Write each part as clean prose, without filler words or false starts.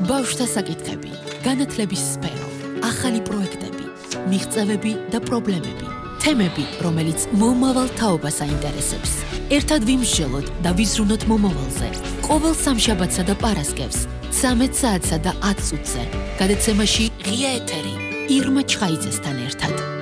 ბავშვთა საკითხები, განათლების სფერო, ახალი პროექტები, მიღწევები და პრობლემები, თემები, რომელიც მომავალ თაობას აინტერესებს. ერთად ვიმსჯელოთ და ვიზრუნოთ მომავალზე. ყოველ სამშაბათსა და პარასკევს, 13 საათსა და 10 წუთზე, გადაცემაში ღია ეთერი, ირმა ჩხაიძესთან ერთად.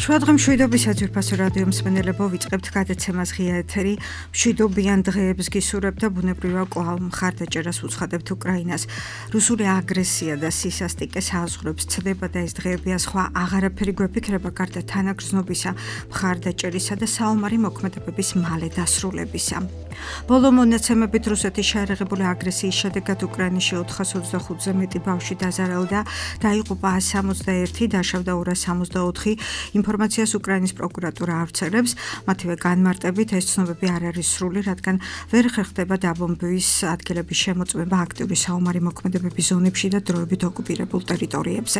შუადღე მშვიდობის საძვირფასო რადიო მსმენელებო, ვიწყებთ გადაცემას ღია ეთერი. მშვიდობიან დღეებს გისურვებთ და ბუნებრივია კვლავ მხარდაჭერას უცხადებთ უკრაინას. რუსული აგრესია და სისასტიკე საზღვრებს ცდება და ეს დღეებია სხვა აღარაფერი გვეფიქრება გარდა თანაგრძნობისა, მხარდაჭერისა და საომარი მოქმედებების მალე დასრულებისა. ბოლო მონაცემებით რუსეთის შეერაღებული აგრესიის შედეგად უკრაინაში 425-ზე მეტი ბავშვი დაზარალდა, დაიღუპა 161, დაშავდა 264. ინფორმაციას უკრაინის პროკურატურა ავრცელებს, მათივე განმარტებით ეს ცნობები არ არის სრული, რადგან ვერ ხერხდება დაბომბვის ადგილების შემოწმება აქტიური საომარი მოქმედებების ზონებში და დროებით ოკუპირებულ ტერიტორიებზე.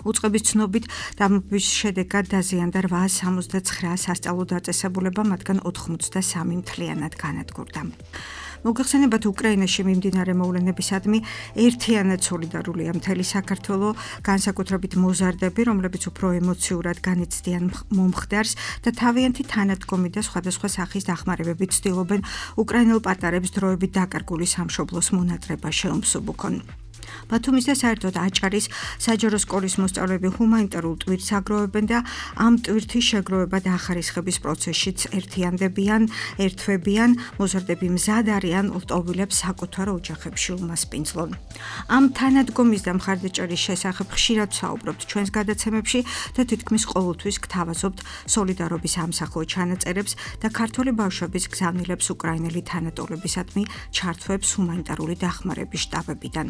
უწყების ცნობით, დაბომბვის შედეგად დაზიანდა 869 სასწავლო დაწესებულება, მათგან 83 მთლიანად განადგურდა. მოგეხსენებათ, უკრაინაში მიმდინარე მოვლენებისადმი ერთიანად სოლიდარულია მთელი საქართველო, განსაკუთრებით მოზარდები, რომლებიც უფრო ემოციურად განიცდიან მომხდარს და თავიანთი თანადგომი და სხვადასხვა სახის დახმარებებით ცდილობენ უკრაინელ პატარებს დროებით დაკარგული სამშობლოს მონატრება შეუმსუბუქონ. ბათუმის და საერთოდ აჭარის საჯარო სკოლის მოსწავლეები ჰუმანიტარულ ტვირთს აგროვებენ და ამ ტვირთის შეგროვება და ახარისხების პროცესშიც ერთვებიან, მოზარდები მზად არიან ლტოვილებს საკუთარ ოჯახებში უმასპინძლონ. ამ თანადგომის და მხარდაჭერის შესახებ ხშირად ვსაუბრობთ ჩვენს გადაცემებში და თითქმის ყოველთვის გთავაზობთ სოლიდარობის ამსახლო ჩანაწერებს და ქართველი ბავშვების გზავნილებს უკრაინელი თანატოლებისადმი ჩართვებს ჰუმანიტარული დახმარების შტაბებიდან.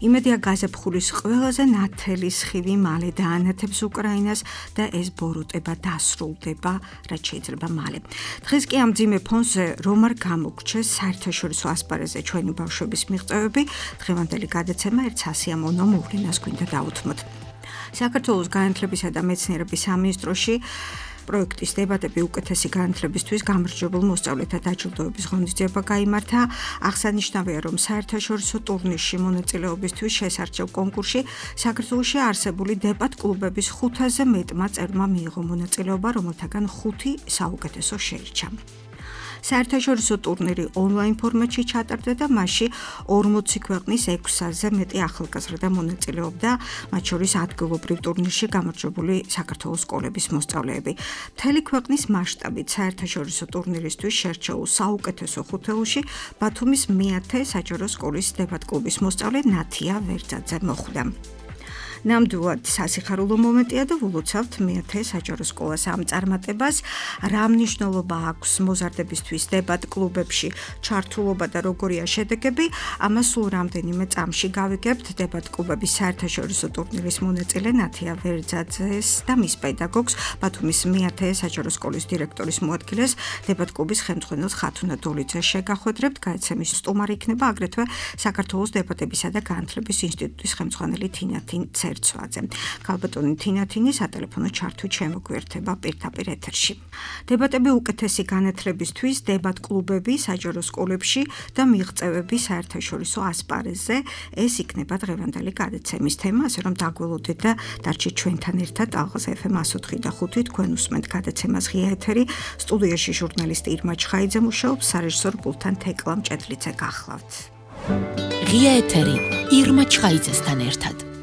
იმედია გაზაფხულის ყველაზე ნათელი სხივი მალე დაანათებს უკრაინას და ეს ბოროტება დასრულდება, რაც შეიძლება მალე. დღეს კი ამ მძიმე ფონზე რომ არ გამოგრჩეს საერთაშორისო ასპარეზზე ჩვენი ბავშვების მიღწევები, დღევანდელი გადაცემა ერთ სასიამოვნო მოვლენას გვინდა დავუთმოთ. საქართველოს განათლებისა და მეცნიერების სამინისტროში პროექტის დებატები უკეთესი განათლებისთვის გამარჯვებულ მოსწავლეთა დაჯილდოების ღონისძიება გაიმართა. აღსანიშნავია, რომ საერთაშორისო ტურნირში მონაწილეობისთვის შესარჩევ კონკურსში საქართველოში არსებული დებატ კლუბების 500-ზე მეტმა წერმა მიიღო მონაწილეობა, რომელთაგან 5 საუკეთესო შეირჩა. საერთაშორისო ტურნირი ონლაინ ფორმატში ჩატარდა და მასში 40 ქვეყნის 600-ზე მეტი ახალგაზრდა მონაწილეობდა, მათ შორის ადგილობრივ ტურნირში გამარჯვებული საქართველოს სკოლების მოსწავლეები. მთელი ქვეყნის მასშტაბით საერთაშორისო ტურნირისთვის შერჩეულ საუკეთესო ხუთეულში ბათუმის მეათე საჯარო სკოლის დებატ კლუბის მოსწავლე ნათია ვერძაძე მოხვდა. ნამდვილად სასიხარულო მომენტია და ვილოცავთ მეათე საჯარო სკოლას ამ წარმატებას. რა მნიშვნელობა აქვს მოზარდებისთვის დებატ კლუბებში ჩართულობა და როგორია შედეგები, ამას სულ რამდენიმე წამში გავიგებთ. დებატ კლუბების საერთაშორისო ტურნირის მონაწილე ნათია ვერძაძეს და მის პედაგოგს, ბათუმის მეათე საჯარო სკოლის დირექტორის მოადგილეს, დებატ კლუბის ხელმძღვანელს ხათუნა დოლიძეს შეგახვედრებთ. გადაცემის სტუმარი იქნება აგრეთვე საქართველოს დებატებისა და განათლების ინსტიტუტის ხელმძღვანელი თინათინ ქალბატონი თინათინი სატელეფონო ჩართვით შემოგვიერთება პირდაპირ ეთერში. დებატები უკეთესი განათლებისთვის, დებატ კლუბები საჯარო სკოლებში და მიღწევები საერთაშორისო ასპარეზზე, ეს იქნება დღევანდელი გადაცემის თემა, ასე რომ დაგველოდეთ და დარჩით ჩვენთან ერთად. ალღაზ FM 104.5 თქვენ უსმენთ გადაცემას ღია ეთერი. სტუდიაში ჟურნალისტი ირმა ჩხაიძე მუშაობს, სარეჟისორო პულტთან თეკლა მჭედლიძე გახლავთ. ღია ეთერი ირმა ჩხაიძესთან ერთად.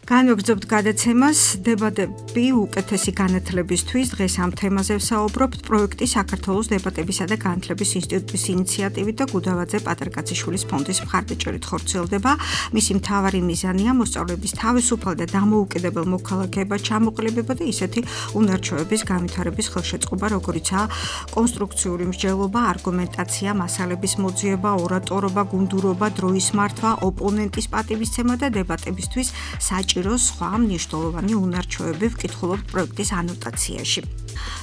განვაგრძობთ გადაცემას დებატები უკეთესი განათლებისთვის. დღეს ამ თემაზე ვსაუბრობთ. პროექტი საქართველოს დებატებისა და განათლების ინსტიტუტის ინიციატივით და გუდავაძე პატარკაციშვილის ფონდის მხარდაჭერით ხორციელდება. მისი მთავარი მიზანია მოსწავლეების თავისუფალ და დამოუკიდებელ მოქალაქეებად ჩამოყალიბება და ისეთი უნარჩვევების განვითარების ხელშეწყობა, როგორიცაა კონსტრუქციული მსჯელობა, არგუმენტაცია, მასალების მოძიება, ორატორობა, გუნდურობა, დროის მართვა, ოპონენტის პატივისცემა და დებატებისთვის საჭირო სხვა მნიშვნელოვანი უნარჩვევები ვკითხულობთ პროექტის ანოტაციაში.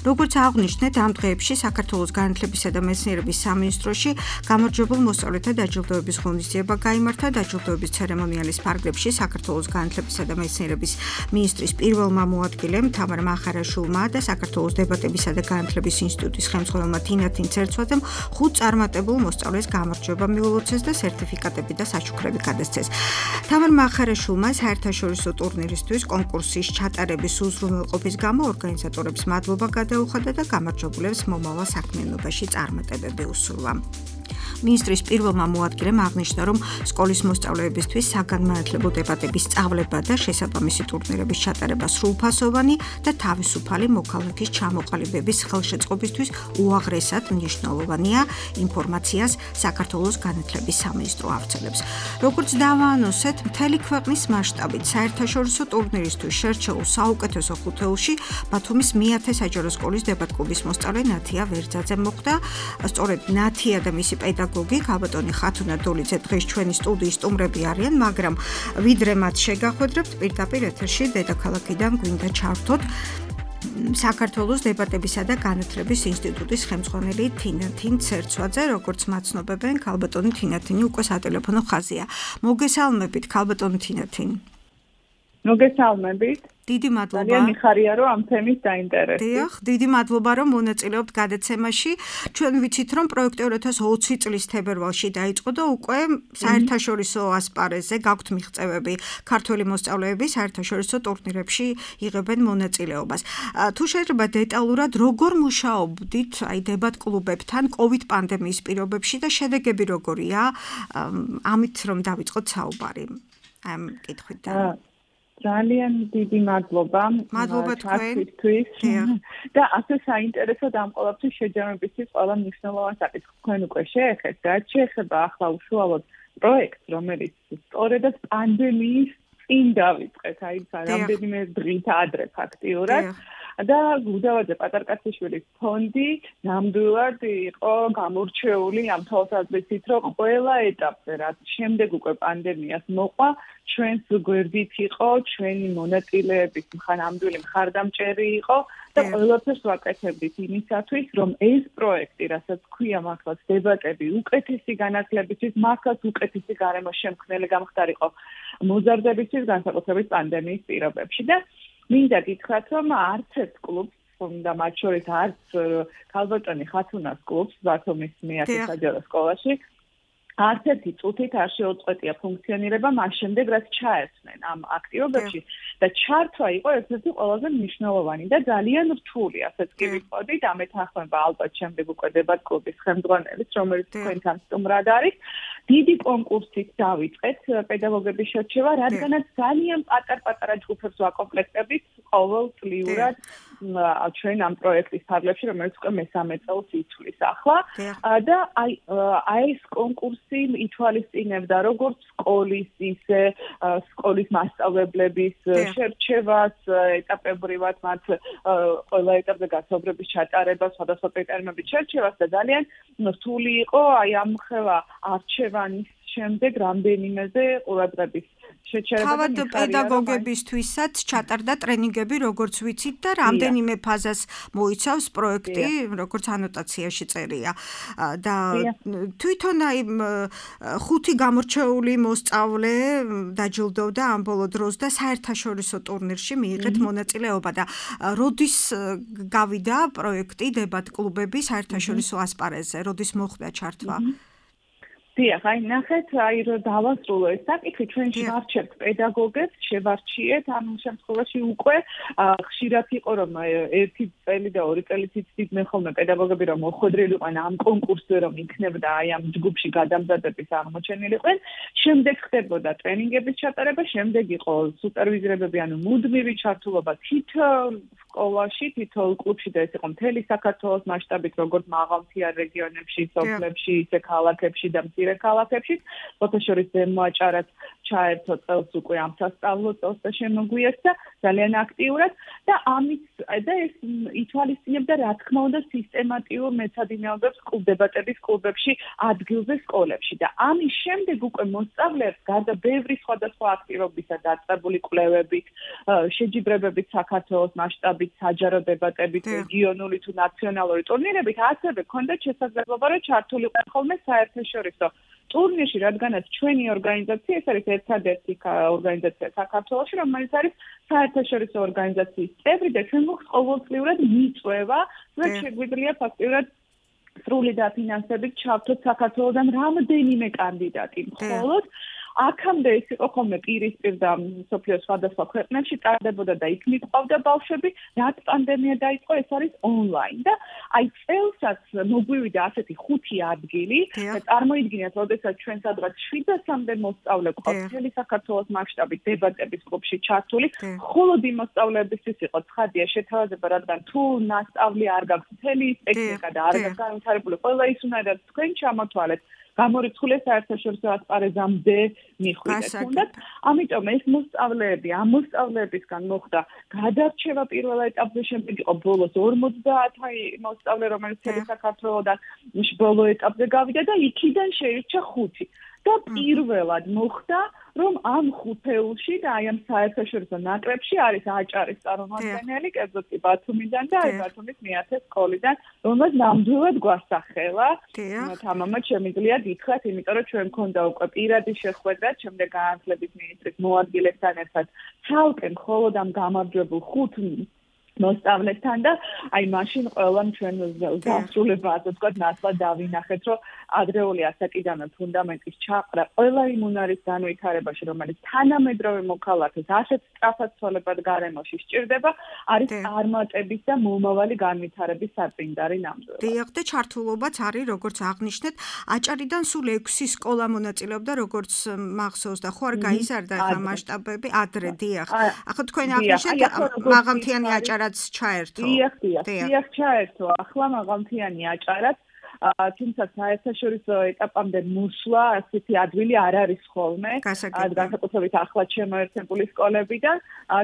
როგორც აღნიშნეთ, ამ დღეებში საქართველოს განათლებისა და მეცნიერების სამინისტროში გამარჯვებულ მოსწავლეთა დაჯილდოების ღონისძიება გაიმართა. დაჯილდოების ცერემონიალის ფარგლებში საქართველოს განათლებისა და მეცნიერების მინისტრის პირველმა მოადგილემ თამარ მახარაშვილმა და საქართველოს დებატებისა და განათლების ინსტიტუტის ხელმძღვანელმა თინათინ ცერცვაძემ 5 წარმატებულ მოსწავლეს გამარჯვება მიულოცეს და სერტიფიკატები და საჩუქრები გადასცეს. თამარ მახარაშვილმა საერთაშორისო ტურნირისთვის კონკურსის ჩატარების უზრუნველყოფის გამო ორგანიზატორებს მადლობა გადაუხადა და გამარჯვებულებს მომავალ საქმიანობაში წარმატებები უსურვა. მინისტრის პირველმა მოადგილემ აღნიშნა, რომ სკოლის მოსწავლეებისთვის საგანმანათლებლო დებატების სწავლება და შესაბამისი ტურნირების ჩატარება სრულფასოვანი და თავისუფალი მოქალაქის ჩამოყალიბების ხელშეწყობისთვის უაღრესად მნიშვნელოვანია. ინფორმაციას საქართველოს განათლების სამინისტრო ავრცელებს. როგორც დავაანონსეთ, მთელი ქვეყნის მასშტაბით საერთაშორისო ტურნირისთვის შერჩეულ საუკეთესო ხუთეულში ბათუმის მეათე საჯარო სკოლის დებატ-კლუბის მოსწავლე ნათია ვერძაძე მოხვდა. სწორედ ნათია და მისი პედაგოგი ქალბატონი ხათუნა დოლიძე დღეს ჩვენი სტუდიის სტუმრები არიან, მაგრამ ვიდრე მათ შეგახვედრებთ, პირდაპირ ეთერში დედაქალაქიდან გვინდა ჩავრთოთ საქართველოს დებატებისა და განათლების ინსტიტუტის ხელმძღვანელი თინათინ ცერცვაძე, როგორც მაცნობებენ, ქალბატონი თინათინი უკვე სატელეფონო ხაზია. მოგესალმებით, ქალბატონი თინათინ. მოგესალმებით. დიდი მადლობა. ძალიან მიხარია, რომ ამ თემის დაინტერესდი. დიახ, დიდი მადლობა, რომ მონაწილეობთ გადაცემაში. ჩვენ ვიცით, რომ პროექტი 2020 წლის თებერვალში დაიწყო და უკვე საერთაშორისო ასპარეზზე გაქვთ მიღწევები. ქართველი მოსწავლეები საერთაშორისო ტურნირებში იღებენ მონაწილეობას. თუ შეიძლება დეტალურად როგორ მუშაობდით აი დებატ-კლუბებთან COVID პანდემიის პირობებში და შედეგები როგორია? ამით რომ დავიწყოთ საუბარი. ამ კითხვიდან. ძალიან დიდი მადლობა. მადლობა თქვენთვის. და ასე საინტერესო და ამ ყოველთვის შეჯამებისთვის ყველა მნიშვნელოვან საკითხს თქვენ უკვე შეეხეთ. რაც შეეხება ახლა უშუალოდ პროექტს, რომელიც სწორედაც პანდემიის წინ დავიწყეთ, აი რამდენიმე დღით ადრე ფაქტიურად. და გუდავაძე პატარკაციშვილის ფონდი ნამდვილად იყო გამორჩეული ამ თვალსაზრისით, რომ ყველა ეტაპზე, რაც შემდეგ უკვე პანდემიას მოყვა, ჩვენს გვერდით იყო, ჩვენი მონაწილეების ნამდვილი მხარდამჭერი იყო და ყველაფერს ვაკეთებდით იმისათვის, რომ ეს პროექტი, რასაც ქვია მართლაც დებატები, უკეთესი განათლებისთვის, მართლაც უკეთესი გარემოს შემქმნელი გამხდარიყო მოზარდებისთვის, განსაკუთრებით პანდემიის პირობებში და მინდა გითხრათ, რომ არც ერთ კლუბს, და მათ შორის არც ქალბატონი ხათუნას კლუბს ბათუმის მეათე საჯარო სკოლაში, არც ერთი წუთით არ შეუწყვეტია ფუნქციონირება მას შემდეგ, რაც ჩაერთნენ ამ აქტივობებში და ჩართვა იყო ერთ-ერთი ყველაზე მნიშვნელოვანი და ძალიან რთული, ასეც კი ვიტყოდით, ამ ეთანხმება ალბათ შემდეგ უკვე დებატ-კლუბის ხელმძღვანელის, რომელიც თქვენთან სტუმრად არის. დიდი კონკურსით დავიწყეთ პედაგოგების შერჩევა, რადგანაც ძალიან პატარ-პატარა ჯგუფებს ვაკომპლექტებით ყოველწლიურად ჩვენ ამ პროექტის ფარგლებში, რომელიც უკვე მესამე წელს იცვლის ახლა და აი ეს კონკურსი ითვალისწინებდა როგორც სკოლის, ისე სკოლის მასწავლებლების შერჩევას, ეტაპებრივად მათ ყველა ეტაპზე გასაუბრების ჩატარებას, სხვადასხვა კრიტერიუმებით შერჩევას და ძალიან რთული იყო აი ამ ხელა არჩევანის შემდეგ რამდენიმეზე ყურადღების შეჩერება. თავად პედაგოგებისთვისაც ჩატარდა ტრენინგები, როგორც ვიცით და რამდენიმე ფაზას მოიცავს პროექტი, როგორც ანოტაციაში წერია. და თვითონ აი 5 გამორჩეული მოსწავლე დაჯილდოვდა ამ ბოლო დროს და საერთაშორისო ტურნირში მიიღეთ მონაწილეობა და როდის გავიდა პროექტი დებატ-კლუბები საერთაშორისო ასპარეზზე, როდის მოხდა ჩართვა? დიახ, აი ნახეთ, აი რომ დავასრულო ეს საკითხი, ჩვენ შევარჩევთ პედაგოგებს, შევარჩიეთ ამ შემთხვევაში უკვე ხშირად იყო რომ 1 წელი და 2 წელიც იცდიდნენ ხოლმე პედაგოგები რომ მოხვედრილიყვნენ ამ კონკურსზე რომ იქნებოდა აი ამ ჯგუფში გადამზადების აღმოჩენილიყვნენ, შემდეგ ხდებოდა ტრენინგების ჩატარება, შემდეგ იყო სუპერვიზირებები, ანუ მუდმივი ჩართულობა თითოეულ სკოლაში, თითოეულ კლუბში და ეს იყო მთელი საქართველოს მასშტაბით, როგორც მაღალმთიან რეგიონებში, სოფლებში, ისე ქალაქებში და მცირე ქალაქებში, ფოთაშორის ზემოაჭარაც ჩაერთო წელს უკვე ამ სასწავლო წელს და შემოგვიერთდა ძალიან აქტიურად და ამით და ეს ითვალისწინებდა რა თქმა უნდა სისტემატიურ მეცადინეობებს დებატების კლუბებში ადგილზე სკოლებში და ამის შემდეგ უკვე მოსწავლეებს გარდა ბევრი სხვადასხვა აქტივობისა დაწყებული კვლევებით, შეჯიბრებებით საქართველოს მასშტაბით, საჯარო დებატებით, რეგიონული თუ ნაციონალური ტურნირებით, ასევე ჰქონდათ შესაძლებლობა რომ ჩართულიყო ხოლმე საერთაშორისო ტურნირში, რადგანაც ჩვენი ორგანიზაცია ეს არის ერთადერთი ორგანიზაცია საქართველოში, რომელიც არის საერთაშორისო ორგანიზაციის წევრი და ჩვენ გვაქვს ყოველწლიურად მიწვევა, რაც შეგვიძლია ფაქტიურად სრული დაფინანსებით ჩავთოთ საქართველოსთან რამდენიმე კანდიდატი. მხოლოდ აქამდე ეს იყო ხოლმე პირისპირ და მსოფლიოს სხვადასხვა ქვეყნებში ტარდებოდა და იქ მიყვავდა ბავშვები, რაც პანდემია დაიწყო, ეს არის ონლაინ და აი წელსაც მოგვივიდა ასეთი 5 ადგილი და წარმოიდგინეთ, როდესაც ჩვენ სადღაც 700-მდე მოსწავლე ყავს მთელი საქართველოს მასშტაბით დებატების კლუბში ჩართული, მხოლოდ იმ მოსწავლეებისთვის იყო ცხადია შეთავაზება, რადგან თუ მასწავლი არ გაქვს მთელი ტექნიკა და არ გაქვს განვითარებული, ყველა ის უნდა თქვენ ჩამოთვალეთ. გამორიცხული საერთაშორისო ასპარეზამდე მიხვიდეთ. თუნდაც ამიტომ ეს მოსწავლეები, ამ მოსწავლეებისგან მოხდა გადარჩევა პირველ ეტაპზე, შემდეგ იყო ბოლოს 50 მოსწავლე, რომელიც საქართველოსთან ბოლო ეტაპზე გავიდა და იქიდან შეირჩა 5. და პირველად მოხდა, რომ ამ ხუთეულში და აი ამ საერთაშორისო ნაკრებში არის აჭარის წარმომადგენელი, კერძოდ კი ბათუმიდან და აი ბათუმის მეათე სკოლიდან, რომელსაც ნამდვილად გვასახელა. თამამად შემიძლია გითხრათ, იმიტომ რომ ჩვენ მქონდა უკვე პირადი შეხვედრა, შემდეგ განათლების მინისტრის მოადგილებთან ერთად ცალკე მხოლოდ ამ გამარჯვებულ 5 მოსწავლეთან და აი მაშინ ყველამ ჩვენ დასრულება, ასე ვთქვათ, ნაცვლად დავინახეთ, რომ ადრეული ასაკიდანვე ფუნდამენტის ჩაყრა ყველა იმ უნარის განვითარებაში, რომელიც თანამედროვე მოქალაქეს ასეთ სწრაფად ცოლებად გარემოში სჭირდება, არის წარმატების და მომავალი განვითარების საწინდარი ნამდვილად. დიახ, და ჩართულობაც არის, როგორც აღნიშნეთ, აჭარიდან სულ 6 სკოლა მონაწილეობდა, როგორც მახსოვს და ხო არ გაიზარდა ახლა მასშტაბები ადრე, დიახ. ახლა თქვენ აღნიშნეთ მაღალმთიანი აჭარაც ჩაერთო. დიახ, ჩაერთო. ახლა მაღალმთიანი აჭარაც თუმცა საერთაშორისო ეტაპამდე მოსვლა ასეთი ადვილი არ არის ხოლმე. განსაკუთრებით ახლად შემოერთებული სკოლებიდან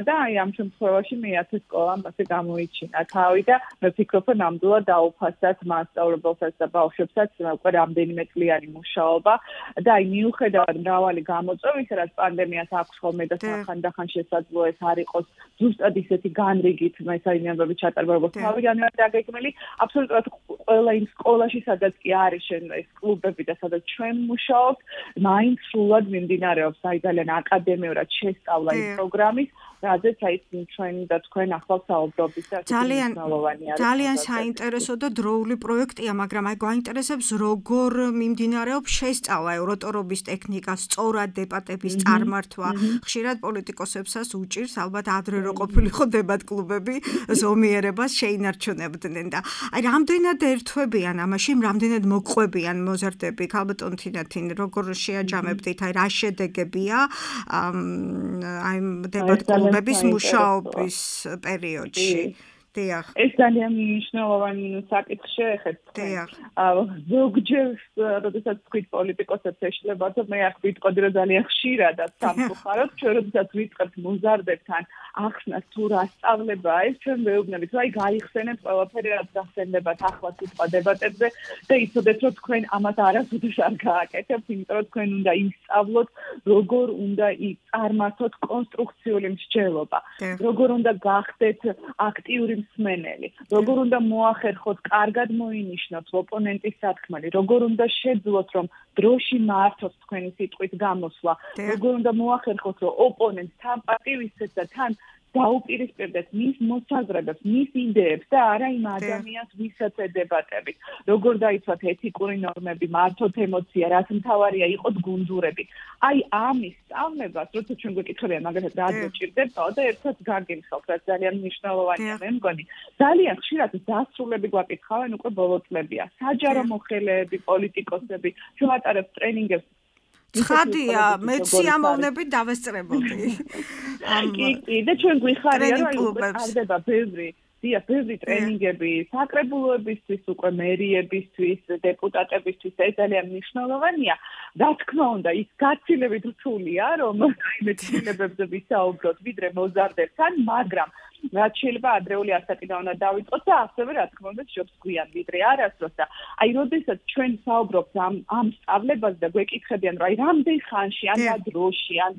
და აი ამ შემთხვევაში მეათე სკოლამ ასე გამოიჩინა თავი და მე ვფიქრობ, რომ ნამდვილად დაუფასდათ მასწავლებელსაც და ბავშვებსაც უკვე რამდენიმე წლიანი მუშაობა და აი მიუხედავად მრავალი გამოწვევისა, რაც პანდემიას აქვს ხოლმე და ხანდახან შესაძლოა ეს არ იყოს ზუსტად ისეთი განრიგით მეცადინეობები ჩატარება, როგორც თავიდანვე დაგეგმილი, აბსოლუტურად ყველა იმ სკოლაში სადაც კი არის ეს კლუბები და სადაც ჩვენ მუშაობთ, მაინც სრულად მიმდინარეობს აი ძალიან აკადემიურად შესწავლა იმ პროგრამის, რაზეც აი ჩვენ და თქვენ ახლა საუბრობთ და ძალიან საინტერესო და დროული პროექტია, მაგრამ აი გვაინტერესებს როგორ მიმდინარეობს შესწავლა ევროტორობის ტექნიკა, სწორად დებატების წარმართვა. ხშირად პოლიტიკოსებსაც უჭირს ალბათ ადრე რო ყოფილიყო დებატ კლუბები ზომიერებას შეინარჩუნებდნენ და აი რამდენად ერთვებიან ამაში, რამდენად მოყვებიან მოზარდები, ქალბატონ თინათინ, როგორ შეაჯამებდით, აი რა შედეგებია აი დებატ კლუბების მუშაობის პერიოდში. დიახ. ეს ძალიან მნიშვნელოვანი საკითხი შეეხება. დიახ. ზოგჯერ, როდესაც ვთქვით პოლიტიკოსებს ეშლება, მე აქ ვიტყოდი, რომ ძალიან ხშირადაც სამწუხაროდ, ჩვენ როდესაც ვიწყებთ მოზარდებთან ახსნას თუ რა სწავლება ეს, ჩვენ ვეუბნებით, რომ აი გაიხსენებთ ყველაფერი, რაც გახსენდებათ ახლა სიტყვა დებატებზე და იცოდეთ, რომ თქვენ ამას არასოდეს არ გააკეთებთ, იმიტომ რომ თქვენ უნდა ისწავლოთ, როგორ უნდა წარმართოთ კონსტრუქციული მსჯელობა, როგორ უნდა გახდეთ აქტიური მსმენელი, როგორ უნდა მოახერხოთ, კარგად მოინიშნოთ ოპონენტის სათქმელი, როგორ უნდა შეძლოთ, რომ დროში მართოთ თქვენი სიტყვის გამოსვლა, როგორ უნდა მოახერხოთ, რომ ოპონენტს თან პატივისცეთ და თან დაუპირისპირდეთ მის მოსაზრებებს, მის იდეებს და არა იმ ადამიანს, ვისაც ედებატებით. როგორ დაიცვათ ეთიკური ნორმები, მართოთ ემოცია, რაც მთავარია იყოთ გუნდურები. აი ამის სწავლებას, როცა ჩვენ გვეკითხებიან მაგალითად რა გვჭირდება და ერთად გაგიმხავთ, რაც ძალიან მნიშვნელოვანია, მე მგონი. ძალიან ხშირად დასრულები გვაკითხავენ უკვე ბოლო წლებია. საჯარო მოხელეები, პოლიტიკოსები, ჩვენ ვატარებთ ტრენინგებს. ცხადია, მე სიამოვნებით დავესწრებოდი. კი, და ჩვენ გვიხარია, რომ ტარდება ბევრი დიახ, ბევრი ტრენინგები საკრებულოებისთვის, უკვე მერიებისთვის, დეპუტატებისთვის ეს ძალიან მნიშვნელოვანია. რა თქმა უნდა, ის გაცილებით რთულია, რომ აი მეცნიერებებზე ვისაუბროთ, ვიდრე მოზარდებთან, მაგრამ რაც შეიძლება ადრეული ასაკიდან უნდა დავიწყოთ და ასევე რა თქმა უნდა შობს გვიან ვიდრე არასდროს და აი როდესაც ჩვენ საუბრობთ ამ სწავლებაზე და გვეკითხებიან რომ აი რამდენ ხანში ან რა დროში ან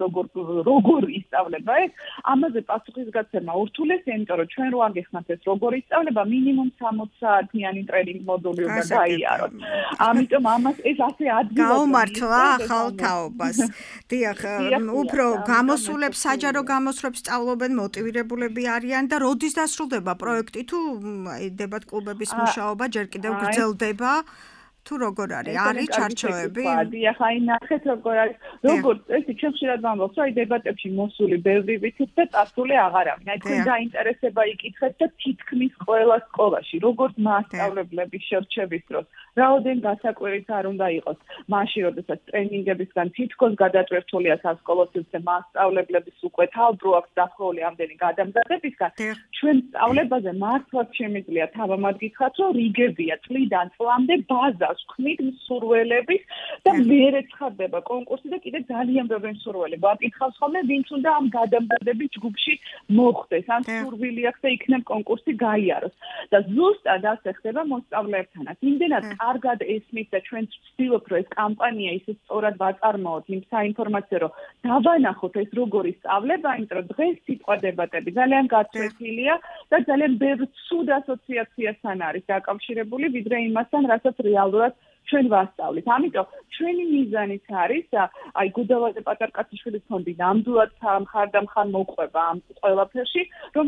როგორ ისწავლება ეს ამაზე პასუხისგაცემა ურთულესია იმიტომ რომ ჩვენ რო აგეხსნათ ეს როგორ ისწავლება მინიმუმ 60 საათიანი ტრენინგ მოდული უნდა გაიაროთ ამიტომ ამას ეს ასე ადგილად გაუმართლა ახალ თაობას დიახ უფრო გამოსულებს საჯარო გამოსვლებს სწავლობენ მოტივირებულები არიან და როდის დასრულდება პროექტი თუ დებატ კლუბების მუშაობა ჯერ კიდევ გრძელდება თუ როგორ არის ჩარჩოები? დიახ, აი ნახეთ როგორ არის. როგორც ესე ჩვენ ხშირად ვამბობთ, რომ აი დებატებში მოსული ბევრი ვიცით და წასული აღარ არის. აი თქვენ დაინტერესება იკითხეთ და თითქმის ყველა სკოლაში, როგორც მასწავლებლების შერჩევის დროს, რაოდენ გასაკვირიც არ უნდა იყოს. მაშინ, როდესაც ტრენინგებისგან თითქოს გადაწვერთულია სასკოლო სივრცე მასწავლებლების უკვე თავბრუ აქვს დახრული ამდენი გადამზადებისგან, ჩვენ სწავლებაზე მართლაც შემიძლია თავამად გითხრათ, რომ რიგებია წლიდან წლამდე ბაზა ხმით მსურველების და მერე ცხადდება კონკურსი და კიდე ძალიან ბევრი მსურველი გვაკითხავს ხოლმე ვინც უნდა ამ გადამზადების ჯგუფში მოხვდეს ან სურვილი აქვს და იქნებ კონკურსი გაიაროს და ზუსტად ასე ხდება მოსწავლეებთანაც იმდენად კარგად ესმის და ჩვენ ვცდილობთ რომ ეს კამპანია ისე სწორად ვაწარმოოთ იმ საინფორმაციო რომ დავანახოთ ეს როგორი სწავლება იმიტომ რომ დღეს სიტყვა დებატები ძალიან გაცვეთილია და ძალიან ბევრ ცუდ ასოციაციასთან არის დაკავშირებული ვიდრე იმასთან რასაც რეალურად ჩვენ ვასწავლით. ამიტომ ჩვენი მიზანიც არის აი გუდავაძე პატარკაციშვილის ფონდი ნამდვილად მხარდამხარ მოყვება ამ ყველაფერში, რომ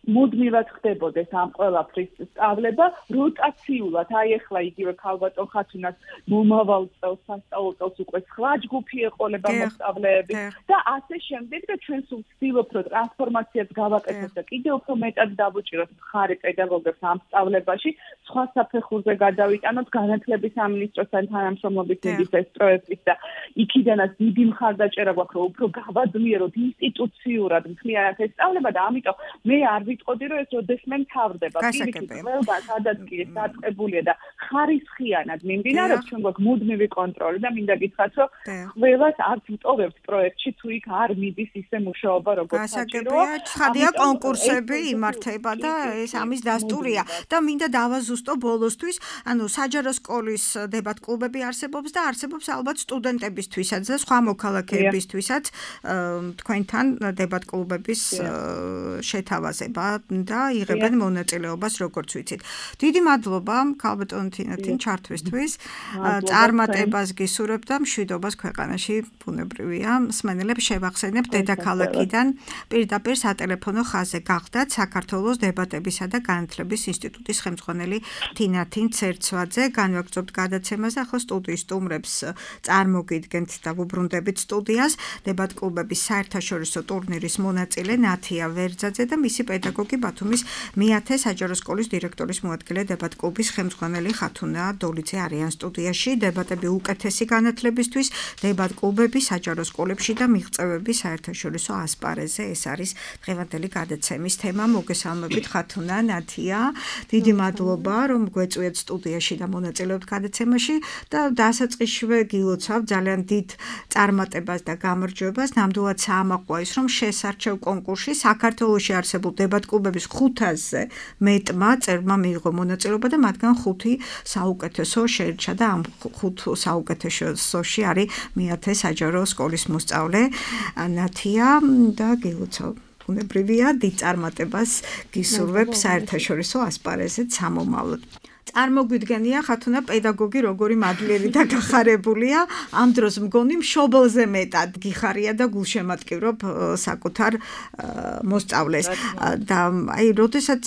მუდმივად ხდებოდეს ამ ყველაფრის სწავლება როტაციულად. აი ახლა იგივე ქალბატონ ხათუნას მომავალ წელს სასწავლო წელს უკვე სხვა ჯგუფი ეყოლება მოსწავლეები და ასე შემდეგ და ჩვენ სულ ვცდილობთ რომ ტრანსფორმაციას გავაკეთოთ და კიდევ უფრო მეტად დავუჭიროთ მხარი პედაგოგებს ამ სწავლებაში, სხვა საფეხურზე გადავიტანოთ განათლების სამინისტროსთან თანამშრომლობის მიზნით ეს პროექტი და იქიდანაც დიდი მხარდაჭერა გვაქვს რომ უფრო გავაძლიეროთ ინსტიტუციურად მთლიანად ეს სწავლება და ამიტომ მე არ ვიტყოდი რომ ეს როდესმე მთავრდება პირიქით ყველგან სადაც კი ეს დაწყებულია და ხარისხიანად მიმდინარეობს ჩვენ გვაქვს მუდმივი კონტროლი და მინდა გითხრათ რომ ყველას არც ვტოვებთ პროექტში თუ იქ არ მიდის ისე მუშაობა როგორც საჭიროა ცხადია კონკურსები იმართება და ეს ამის დასტურია და მინდა დავაზუსტო ბოლოსთვის ანუ საჯარო სკოლის დებატ კლუბები არსებობს და არსებობს ალბათ სტუდენტებისთვისაც და სხვა მოქალაქეებისთვისაც თქვენთან დებატ კლუბების შეთავაზება და იღებენ მონაწილეობას როგორც ვიცით. დიდი მადლობა ქალბატონ თინათინ ჩართვისთვის. წარმატებას გისურვებ და მშვიდობას ქვეყანაში ბუნებრივია. მსმენელებს შევახსენებ დედაქალაქიდან პირდაპირ სატელეფონო ხაზზე გახდათ საქართველოს დებატებისა და განათლების ინსტიტუტის ხელმძღვანელი თინათინ ცერცვაძე. განვაგრძობთ გადაცემას და ახლა სტუდიის სტუმრებს წარმოგიდგენთ და ვუბრუნდებით სტუდიას დებატ კლუბების საერთაშორისო ტურნირის მონაწილე ნათია ვერძაძე და მისი პედაგოგი ბათუმის მეათე საჯარო სკოლის დირექტორის მოადგილე დებატ კლუბის ხელმძღვანელი ხათუნა დოლიძე არიან სტუდიაში. დებატები უკეთესი განათლებისთვის, დებატ კლუბები საჯარო სკოლებში და მიღწევები საერთაშორისო ასპარეზზე. ეს არის დღევანდელი გადაცემის თემა. მოგესალმებით ხათუნა, ნათია. დიდი მადლობა რომ გვეწვიეთ სტუდიაში და მონაწილეობთ გადაცემაში და დასაწყისშივე გილოცავ ძალიან დიდ წარმატებას და გამარჯვებას. ნამდვილად საამაყოა ის რომ შესარჩევ კონკურსში საქართველოში არსებულ დებატ კლუბების 500-ზე მეტმა წერმა მიიღო მონაწილეობა და მათგან 5 საუკეთესო შეირჩა და ამ 5 საუკეთესოში არის მეათე საჯარო სკოლის მოსწავლე ნათია და გილოცავ ბუნებრივია დიდ წარმატებას გისურვებ საერთაშორისო ასპარეზზე სამომავლოდ. წარმოგვიდგენია ხათუნა პედაგოგი როგორი მადლიერი და გახარებულია ამ დროს მგონი მშობელზე მეტად გიხარია და გულშემატკივრობ საკუთარ მოსწავლეს და აი როდესაც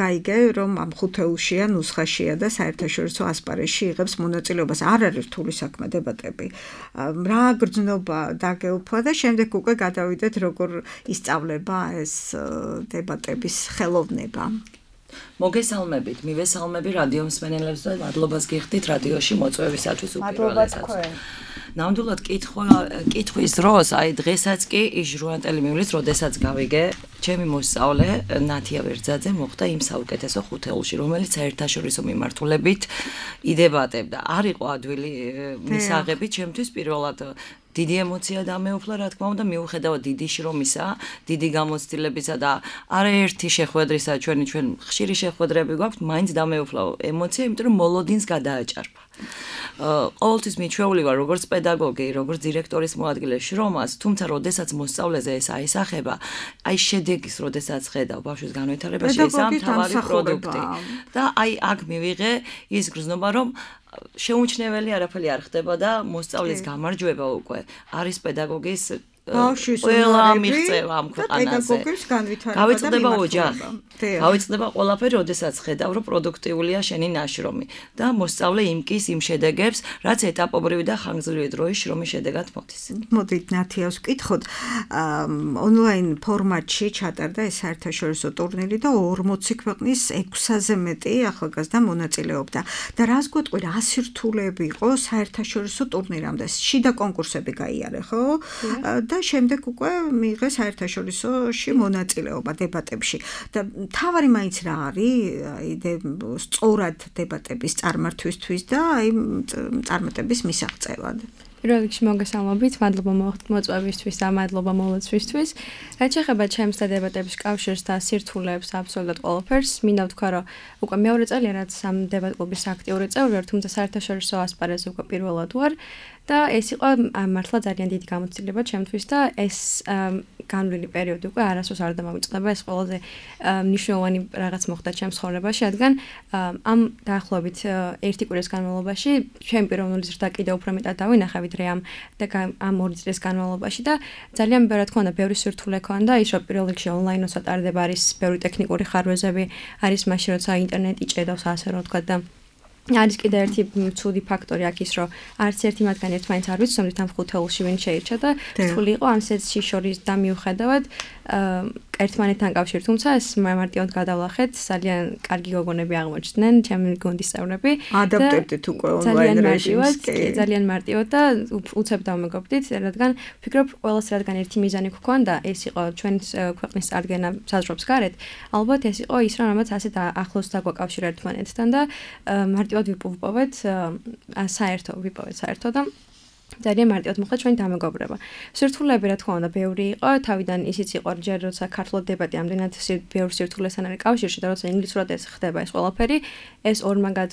გაიგე რომ ამ ხუთეულშია ნუსხაშია და საერთაშორისო ასპარეზში იღებს მონაწილეობას არ არის რთული საქმე დებატები რა გრძნობა დაგეუფლა და შემდეგ უკვე გადავიდეთ როგორ ისწავლება ეს დებატების ხელოვნება. მოგესალმებით, მივესალმები რადიო მსმენელებს და მადლობას გიხდით რადიოში მოწვევისათვის უპირველესად. ნამდვილად კითხვის დროს, აი დღესაც კი ჟურნალისტელი მივლის, როდესაც გავიგე ჩემი მოსწავლე ნათია ვერძაძე მოხდა იმ საუკეთესო ხუთეულში, რომელიც საერთაშორისო მიმართულებით იდებატებდა. არ იყო ადვილი მისაღები ჩემთვის პირველად დიდი ემოცია დამეუფლა, რა თქმა უნდა, მიუხედავად დიდი შრომისა, დიდი გამოცდილებისა და არაერთი შეხვედრისა, ჩვენ ხშირი შეხვედრები გვაქვს, მაინც დამეუფლა ემოცია, იმიტომ რომ მოლოდინს გადააჭარბა. ყოველთვის მიჩვეული ვარ როგორც პედაგოგი, როგორც დირექტორის მოადგილე შრომას, თუმცა როდესაც მოსწავლეზე ეს აისახება, აი შედეგის როდესაც ხედავ ბავშვის განვითარებაში, ეს ამთავარი პროდუქტი. და აი აქ მივიღე ის გრძნობა, რომ შეუმჩნეველი არაფერი არ ხდება და მოსწავლის გამარჯვება უკვე არის პედაგოგის ყველა მიღწევა ამ ქვეყანაზე. გავიწყდება ოჯახი. გავიწყდება ყველაფერი, როდესაც ხედავ, რომ პროდუქტიულია შენი ნაშრომი და მოსწავლე იმკის იმ შედეგებს, რაც ეტაპობრივი და ხანგრძლივი დროის შრომის შედეგად მოდის. მოდით ნათიას ვკითხოთ, ონლაინ ფორმატში ჩატარდა ეს საერთაშორისო ტურნირი და 40 ქვეყნის 600-ზე მეტი ახალგაზრდა მონაწილეობდა. და რას გვეტყვი, რა სირთულეები იყო საერთაშორისო ტურნირამდე? შიდა კონკურსები გაიარე, ხო? და შემდეგ უკვე მიიღე საერთაშორისოში მონაწილეობა დებატებში. და თავარი მაინც რა არის სწორად დებატების წარმართვისთვის და აი წარმატების მისაღწევად. პირველ რიგში მოგესალმებით, მადლობა მოწვევისთვის და მადლობა მოლოცვისთვის. რაც შეეხება ჩემს და დებატების კავშირს და სირთულეებს აბსოლუტურად ყველაფერს, მინდა ვთქვა, რომ უკვე მეორე წელია, რაც ამ დებატ კლუბის აქტიური წევრი ვარ, თუმცა საერთაშორისო ასპარეზზე უკვე პირველად ვარ. და ეს იყო მართლა ძალიან დიდი გამოცდილება ჩემთვის და ეს განვლილი პერიოდი უკვე არასდროს არ დამამიწყდება. ეს ყველაზე მნიშვნელოვანი რაღაც მოხდა ჩემს ცხოვრებაში, რადგან ამ დაახლოებით ერთი კვირის განმავლობაში ჩემი პიროვნული ზრდა კიდევ უფრო მეტად დავინახე ვიდრე ამ 2 წლის განმავლობაში და ძალიან რა თქმა უნდა ბევრი სირთულე ქონდა, ის რომ პირველ რიგში ონლაინო სატარდება არის ბევრი ტექნიკური ხარვეზები, არის მაშინ როცა ინტერნეტი ჭედავს ასე რომ ვთქვა და არის კიდევ ერთი ცუდი ფაქტორი აქ ის რომ არც ერთი მათგანი ერთმანეთს არ ვიცნობთ ამ ხუთეულში ვინ შეირჩა და რთული იყო ამ სეტში შორის და მიუხედავად ერთმანეთთან კავშირი, თუმცა ეს მარტივად გადავლახეთ, ძალიან კარგი გოგონები აღმოჩნდნენ, ჩემი გუნდის წევრები. ადაპტებდით უკვე ონლაინ რეჟიმს. ძალიან მარტივად და უცებ დავმეგობრდით, რადგან ვფიქრობ, ყველას რადგან ერთი მიზანი გვქონდა, ეს იყო ჩვენი ქვეყნის წარდგენა საზღვრებს გარეთ, ალბათ ეს იყო ის, რამაც ასეთ ახლოს დაგვაკავშირა ერთმანეთთან და მარტივად ვიპოვეთ საერთო და ძალიან მარტივად მოხდა ჩვენი დამეგობრება. სირთულეები რა თქმა უნდა ბევრი იყო, თავიდან ისიც იყო ჯერ როცა ქართულად დებატი ამდენად ბევრი სირთულესთან არის კავშირში და როცა ინგლისურად ეს ხდება ეს ყველაფერი, ეს ორმაგად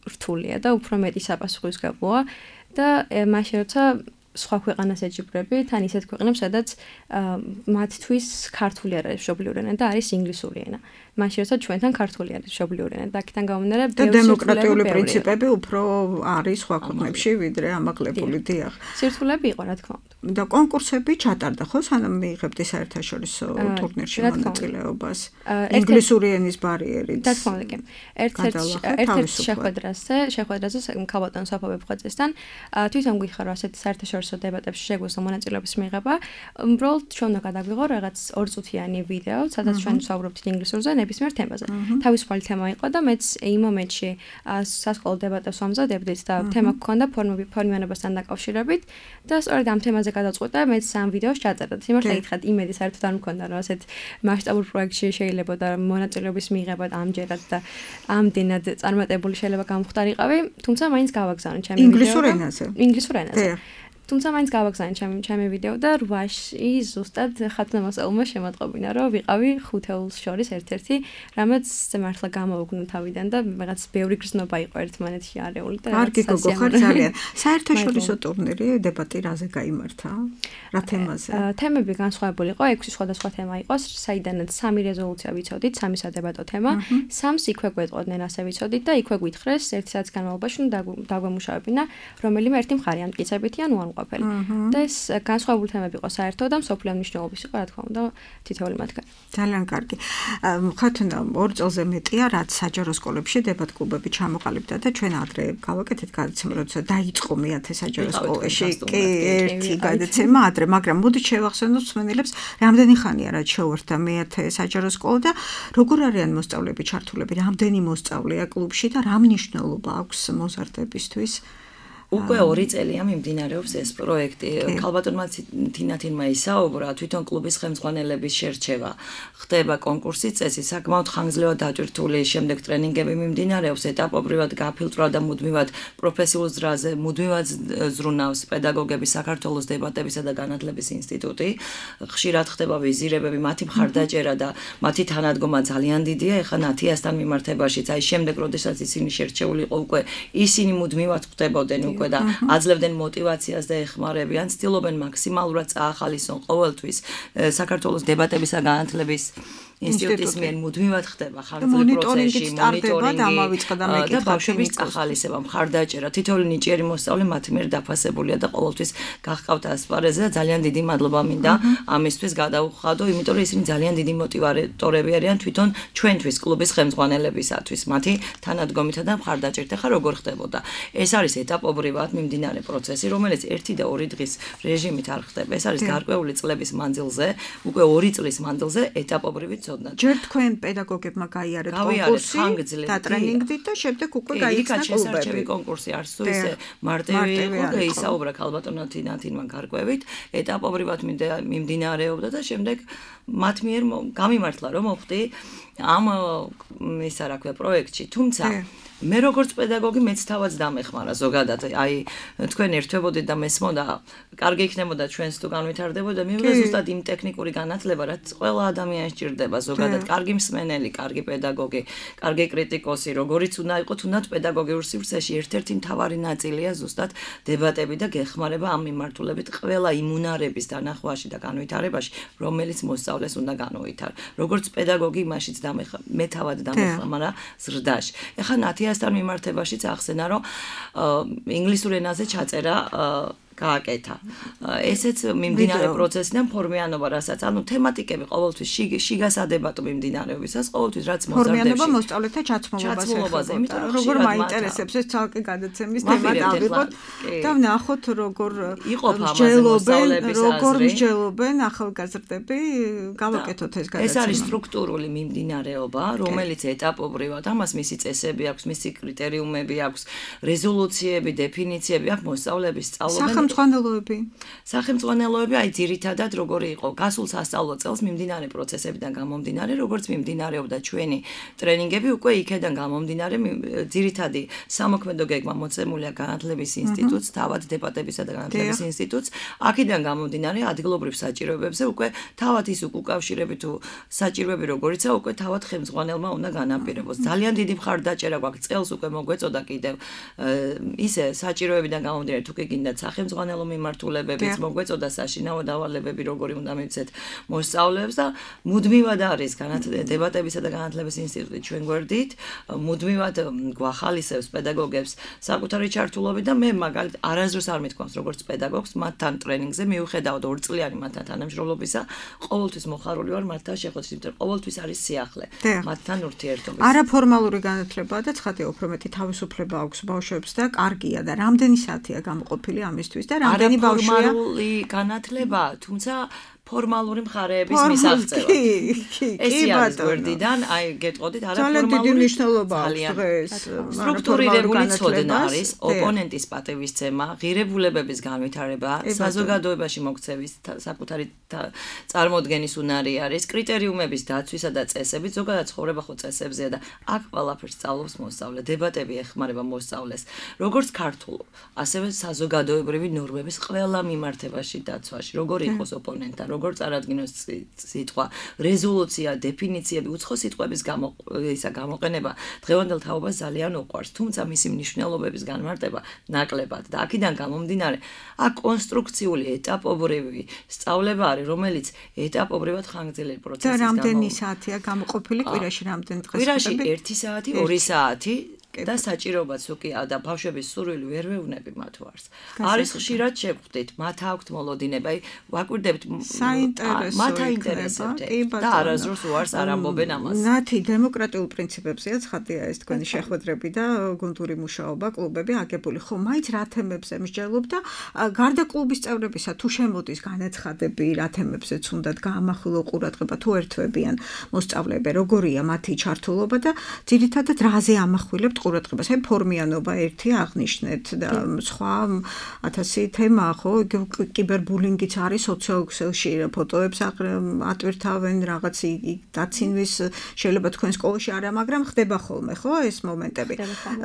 რთულია და უფრო მეტი საპასუხისმგებლოა და მაშინ როცა სხვა ქვეყანას ეჯიბრები, თან ისეთ ქვეყნებს, სადაც მათთვის ქართული არ არის მშობლიური ენა და არის ინგლისური ენა. მაშინ როცა ჩვენთან ქართული არის მშობლიური ენა და აქედან გამომდინარე ბევრი დემოკრატიული პრინციპები უფრო არის სხვა ქვეყნებში ვიდრე ამაღლებული დიახ. სირთულეები იყო რა თქმა უნდა. და კონკურსები ჩატარდა ხო სანამ მიიღებდი საერთაშორისო ტურნირში მონაწილეობას? ინგლისური ენის ბარიერი. რა თქმა უნდა, კი. ერთ-ერთ შეხვედრაზე ქალბატონ საფა ვებხვაძესთან თვითონ გვიხარო ასეთი საერთაშორისო დებატებში შეგვიძლია მონაწილეობის მიღება. უბრალოდ ჩვენ უნდა გადაგვიღო რაღაც 2 წუთიანი ვიდეო, სადაც ჩვენ ვსაუბრობთ ინგლისურზე ნებისმიერ თემაზე. თავისუფალი თემა იყო და მეც იმ მომენტში სასკოლო დებატებს ვამზადებდით და თემა გქონდა ფორმირებასთან დაკავშირებით და სწორედ ამ თემაზე გადავწყვიტე მეც ამ ვიდეოს ჩაწერა. სიმართლე გითხრათ, იმედი საერთოდ არ მქონდა რომ ასეთ მასშტაბურ პროექტში შეიძლება და მონაწილეობის მიღება ამჯერად და ამდენად წარმატებული შეიძლება გამختارიყავი, თუმცა მაინც გავაგზავნე ჩემი ვიდეო. ინგლისურ ენაზე. თუმცა მაინც გავაგზავნე ჩემი ვიდეო და 8-ში ზუსტად ხათნამასწავლმა შემატყობინა, რომ ვიყავი ხუთეულს შორის ერთ-ერთი, რამაც მართლა გამოვგნო თავიდან და რაღაც ბევრი გრძნობა იყო ერთმანეთში არეული და კარგი გოგო ხარ ძალიან. საერთაშორისო ტურნირი დებატი რაზე გაიმართა? რა თემაზე? თემები განსხვავებული იყო, 6 სხვადასხვა თემა იყო, საიდანაც 3 რეზოლუცია ვიცოდით, 3 სადებატო თემა, 3 იქვე გვეტყოდნენ ასე ვიცოდით და იქვე გვითხრეს ერთი საათის განმავლობაში დაგვემუშავებინა რომელიმე ერთი მხარე ან მტკიცებითი ან ყოფილი. და ეს განსხვავებული თემები იყო საერთოდ და მსოფლიო მნიშვნელობის იყო, რა თქმა უნდა, თითოეული მათგანი. ძალიან კარგი. ხათუნა 2 წელზე მეტია, რაც საჯარო სკოლებში დებატ კლუბები ჩამოყალიბდა და ჩვენ ადრე გავაკეთეთ გადაცემა, როცა დაიწყო მე-10 საჯარო სკოლაში. კი, ერთი გადაცემა ადრე, მაგრამ მოდით შევახსენოთ მსმენელებს, რამდენი ხანია რაც შევერთდა მე-10 საჯარო სკოლა და როგორ არიან მოსწავლეები ჩართულები, რამდენი მოსწავლეა კლუბში და რა მნიშვნელობა აქვს მოზარდებისთვის? უკვე 2 წელია მიმდინარეობს ეს პროექტი. ქალბატონმა თინათინმა ისაუბრა, თვითონ კლუბის ხელმძღვანელების შერჩევა. ხდება კონკურსის წესი, საკმაოდ ხანგრძლივად დატვირთული, შემდეგ ტრენინგები მიმდინარეობს, ეტაპობრივად გაფილტრვა და მუდმივად პროფესიულ ზრაზე, მუდმივად ზრუნავს პედაგოგები საქართველოს დებატებისა და განათლების ინსტიტუტი. ხშირად ხდება ვიზირებები, მათი მხარდაჭერა და მათი თანადგომა ძალიან დიდია. ეხლა ნათიასთან მიმართებაშიც, აი შემდეგ, როდესაც ისინი შერჩეული იყო, უკვე ისინი მუდმივად ხდებოდნენ უკვე და აძლევდნენ мотивაციას და ეხმარებიან, ცდილობენ მაქსიმალურად წაახალისონ ყოველთვის საქართველოს დებატებისა განათლების ინსტიტუტის მიერ მუდმივად ხდება ხანგრძლივ პროცესში მონიტორინგი და ბავშვების წახალისება, მხარდაჭერა, თითოეული ნიჭიერი მოსწავლე მათ მიერ დაფასებულია და ყოველთვის გახყავთ ასპარეზზე და ძალიან დიდი მადლობა მინდა ამისთვის გადაუხადო, იმიტომ რომ ისინი ძალიან დიდი მოტივატორები არიან თვითონ ჩვენთვის კლუბის ხელმძღვანელებისათვის, მათი თანადგომითა და მხარდაჭერით. ახლა როგორ ხდებოდა? ეს არის ეტაპობრივად მიმდინარე პროცესი, რომელიც 1 და 2 დღის რეჟიმით არ ხდება. ეს არის გარკვეული წლების მანძილზე, უკვე 2 წლის მანძილზე ეტაპობრივი ჯერ თქვენ პედაგოგებმა გაიარეთ კონკურსი და ტრენინგით და შემდეგ უკვე გაიხსნა კლუბები. კონკურსი არც თუ ისე მარტივი იყო და ისაუბრა ქალბატონმა თინათინმა გარკვევით, ეტაპობრივად მიმდინარეობდა და შემდეგ მათ მიერ გამიმართლა რომ მოხდი ამ ისა რა ქვია პროექტში, თუმცა მე როგორც პედაგოგი მეც თავად დამეხმარა ზოგადად, აი თქვენ ერთვებოდით და მესმოდა, კარგი იქნებოდა ჩვენს თუ განვითარდებოდა, მივიღე ზუსტად იმ ტექნიკური განათლება, რაც ყველა ადამიანს სჭირდება, ზოგადად კარგი მსმენელი, კარგი პედაგოგი, კარგი კრიტიკოსი, როგორიც უნდა იყოს, თუნდაც პედაგოგიურ სივრცეში ერთ-ერთი მთავარი ნაწილია ზუსტად დებატები და გეხმარება ამ მიმართულებით ყველა იმ უნარების დანახვაში და განვითარებაში, რომელიც მოსწავლეს უნდა განუვითარო. როგორც პედაგოგი იმაშიც მე თავად დამეხმარა ზრდაში. ეხლა ნათიასთან მიმართებაშიც ახსენა, რომ ინგლისურ ენაზე ჩაწერა გააკეთა. ესეც მიმდინარე პროცესიდან ფორმიანობა, რასაც ანუ თემატიკები ყოველთვის შიგასადებატო მიმდინარეობისას, ყოველთვის რაც მოზარდებში. ფორმიანობა მოსწავლეთა ჩაცმულობაზე, იმიტომ რომ როგორ მაინტერესებს ეს ცალკე გადაცემის თემა დავიღოთ და ვნახოთ როგორ მსჯელობენ ახალგაზრდები, გავაკეთოთ ეს გადაცემა. ეს არის სტრუქტურული მიმდინარეობა, რომელიც ეტაპობრივად ამას მისი წესები აქვს, მისი კრიტერიუმები აქვს, რეზოლუციები, დეფინიციები აქვს, მოსწავლეების სწავლობენ სახელმძღვანელოები, აი ძირითადად როგორი იყო გასულ სასწავლო წელს მიმდინარე პროცესებიდან გამომდინარე, როგორც მიმდინარეობდა ჩვენი ტრენინგები, უკვე იქედან გამომდინარე ძირითადი სამოქმედო გეგმა მოცემულია განათლების ინსტიტუტს, თავად დებატებისა და განათლების ინსტიტუტს, აქედან გამომდინარე ადგილობრივ საჭიროებებზე უკვე თავად ის უკავშირები თუ საჭიროები როგორიცა უკვე თავად ხელმძღვანელმა უნდა განაპირობოს. ძალიან დიდი მხარდაჭერა გვაქვს, წელს უკვე მოგვეწოდა კიდევ ისე საჭიროებიდან გამომდინარე თუ კი გინდათ სახელმძღვანელო მიმართულებებიც მოგვეწოდა საშინაო დავალებები როგორი უნდა მივცეთ მოსწავლეებს და მუდმივად არის დებატებისა და განათლების ინსტიტუტი ჩვენ გვერდით, მუდმივად გვახალისებს პედაგოგებს საკუთარი ჩართულობით და მე მაგალითად არასდროს არ მithქვამს როგორც პედაგოგს მათთან ტრენინგზე მივხედავთ 2 წლიანი მათთან თანამშრომლობისა, ყოველთვის მოხარული ვარ მათთან შეხვედრით, იმიტომ რომ ყოველთვის არის სიახლე მათთან ურთიერთობის. არაფორმალური განათლებაა და ცხადია უფრო მეტი თავისუფლება აქვს ბავშვებს და კარგია და რამდენი საათია გამოყოფილი ამისთვის და რამდენი ბავშვია ფორმალური განათლება, თუმცა ფორმალური მხარეების მისაღწევად. ეს არის გვერდიდან, აი გეტყოდით არაფორმალური მნიშვნელობა დღეს. სტრუქტურირებული ცოდნა არის, ოპონენტის პატივისცემა, ღირებულებების განვითარება, საზოგადოებაში მოქცევის საკუთარი წარმოდგენის უნარი არის, კრიტერიუმების დაცვისა და წესები, ზოგადად ცხოვრება ხო წესებზეა და აქ ყველაფერს სწავლობს მოსწავლე, დებატები ეხმარება მოსწავლეს, როგორც ქართულ, ასევე საზოგადოებრივი ნორმების ყველა მიმართებაში დაცვაში, როგორი იყოს ოპონენტა, როგორ წარადგინოს სიტყვა, რეზოლუცია, დეფინიციები, უცხო სიტყვების გამოყენება დღევანდელ თაობას ძალიან უყვარს, თუმცა მისი მნიშვნელობების განმარტება ნაკლებად და აქედან გამომდინარე, აქ კონსტრუქციული ეტაპობრივი სწავლება არის, რომელიც ეტაპობრივად ხანგრძლივი პროცესის და რამდენი საათია გამოყოფილი კვირაში, რამდენი დღეს? კვირაში 1 საათი, 2 საათი და საჭიროებაც უკია და ბავშვების სურვილი ვერ ვეუბნები მათ ვარს. არის ხშირად შევხვდით, მათ აქვთ მოლოდინება, ვაკვირდებით მათ აინტერესებთ და არასდროს უარს არ ამბობენ ამას. ნათი დემოკრატიულ პრინციპებზეა ცხადია ეს თქვენი შეხვედრები და გუნდური მუშაობა, კლუბები აგებული. ხო, მაინც რა თემებზე მსჯელობ და გარდა კლუბის წევრებისა თუ შემოდის განაცხადები, რა თემებზეც უნდათ გაამახვილო ყურადღება თუ ერთვებიან მოსწავლეები, როგორია მათი ჩართულობა და ძირითადად რაზე ამახვილებთ ყურადღებას. აი ფორმიანობა ერთი აღნიშნეთ და სხვა 1000 თემაა, ხო? კიბერბულინგიც არის სოციალურ ფოტოებს ატვირთავენ რაღაც დაცინვის შეიძლება თქვენ სკოლაში არა, მაგრამ ხდება ხოლმე, ხო, ეს მომენტები.